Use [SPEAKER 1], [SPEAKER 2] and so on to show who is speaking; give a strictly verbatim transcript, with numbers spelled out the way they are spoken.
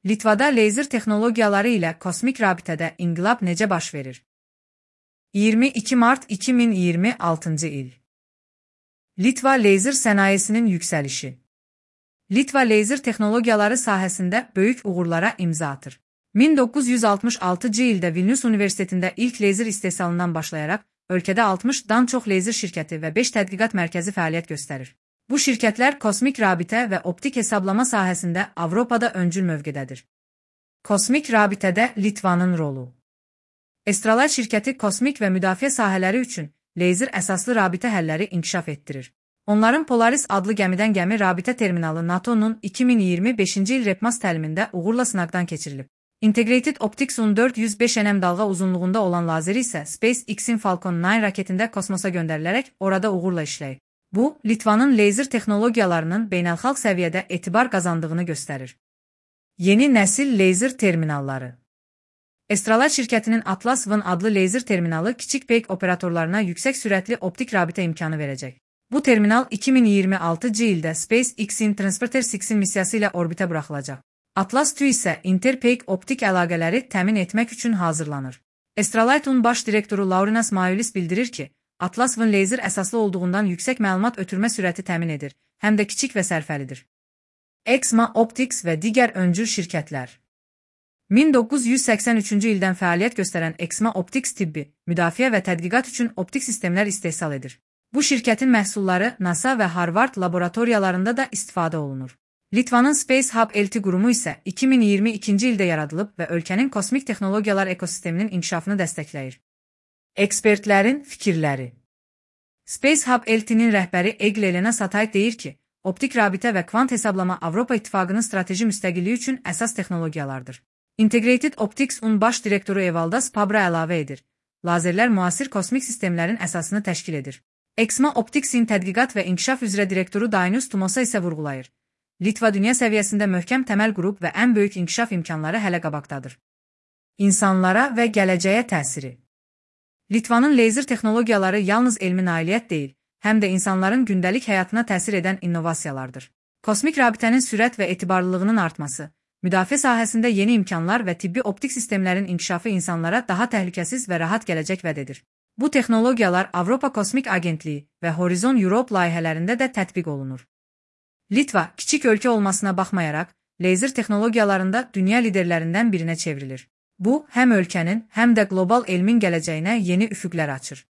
[SPEAKER 1] Litvada leyzer texnologiyaları ilə kosmik rabitədə inqilab necə baş verir? iyirmi iki mart iki min iyirmi altıncı il. Litva leyzer sənayesinin yüksəlişi. Litva leyzer texnologiyaları sahəsində böyük uğurlara imza atır. min doqquz yüz altmış altıncı ildə Vilnius Universitetində ilk leyzer istehsalından başlayaraq, ölkədə altmışdan çox leyzer şirkəti və beş tədqiqat mərkəzi fəaliyyət göstərir. Bu şirkətlər kosmik rabitə və optik hesablama sahəsində Avropada öncül mövqedədir. Kosmik rabitədə Litvanın rolu. Astrolite şirkəti kosmik və müdafiə sahələri üçün leyzer əsaslı rabitə həlləri inkişaf etdirir. Onların Polaris adlı gəmidən gəmi rabitə terminalı NATO'nun iki min iyirmi beşinci il REPMAS təlimində uğurla sınaqdan keçirilib. Integrated Optics-un dörd yüz beş nm dalğa uzunluğunda olan lazeri isə SpaceX-in Falcon dokuz raketində kosmosa göndərilərək orada uğurla işləyib. Bu, Litvanın leyzer texnologiyalarının beynəlxalq səviyyədə etibar qazandığını göstərir. Yeni nəsil leyzer terminalları. Astrolite şirkətinin Atlas V adlı leyzer terminalı kiçik peyk operatorlarına yüksək sürətli optik rabitə imkanı verəcək. Bu terminal iki min iyirmi altıncı ildə SpaceX-in Transporter altı missiyası ilə orbitə buraxılacaq. Atlas iki isə interpeyk optik əlaqələri təmin etmək üçün hazırlanır. Astrolite-un baş direktoru Laurinas Maulis bildirir ki, Atlas V leyzer əsaslı olduğundan yüksək məlumat ötürmə sürəti təmin edir, həm də kiçik və sərfəlidir. Exma Optics və digər öncül şirkətlər. min doqquz yüz səksən üçüncü ildən fəaliyyət göstərən Exma Optics tibbi, müdafiə və tədqiqat üçün optik sistemlər istehsal edir. Bu şirkətin məhsulları NASA və Harvard laboratoriyalarında da istifadə olunur. Litvanın Space Hub L T qurumu isə iki min iyirmi ikinci ildə yaradılıb və ölkənin kosmik texnologiyalar ekosisteminin inkişafını dəstəkləyir. Ekspertlərin fikirləri. Space Hub L T'nin rəhbəri Egil Elena Satay deyir ki, optik rabitə və kvant hesablama Avropa İttifaqının strateji müstəqilliyi üçün əsas texnologiyalardır. Integrated Optics-un baş direktoru Evaldas Pabra əlavə edir. Lazerlər müasir kosmik sistemlərin əsasını təşkil edir. Exma Optics-in tədqiqat və inkişaf üzrə direktoru Dainius Tumosa isə vurğulayır. Litva dünya səviyyəsində möhkəm təməl qurub və ən böyük inkişaf imkanları hələ qabaqdadır. İnsanlara və gələcəyə təsiri. Litvanın leyzer texnologiyaları yalnız elmi nailiyyət deyil, həm də insanların gündəlik həyatına təsir edən innovasiyalardır. Kosmik rabitənin sürət və etibarlılığının artması, müdafiə sahəsində yeni imkanlar və tibbi optik sistemlərin inkişafı insanlara daha təhlükəsiz və rahat gələcək vəd edir. Bu texnologiyalar Avropa Kosmik Agentliyi və Horizon Europe layihələrində də tətbiq olunur. Litva, kiçik ölkə olmasına baxmayaraq, leyzer texnologiyalarında dünya liderlərindən birinə çevrilir. Bu, həm ölkənin, həm də qlobal elmin gələcəyinə yeni üfüqlər açır.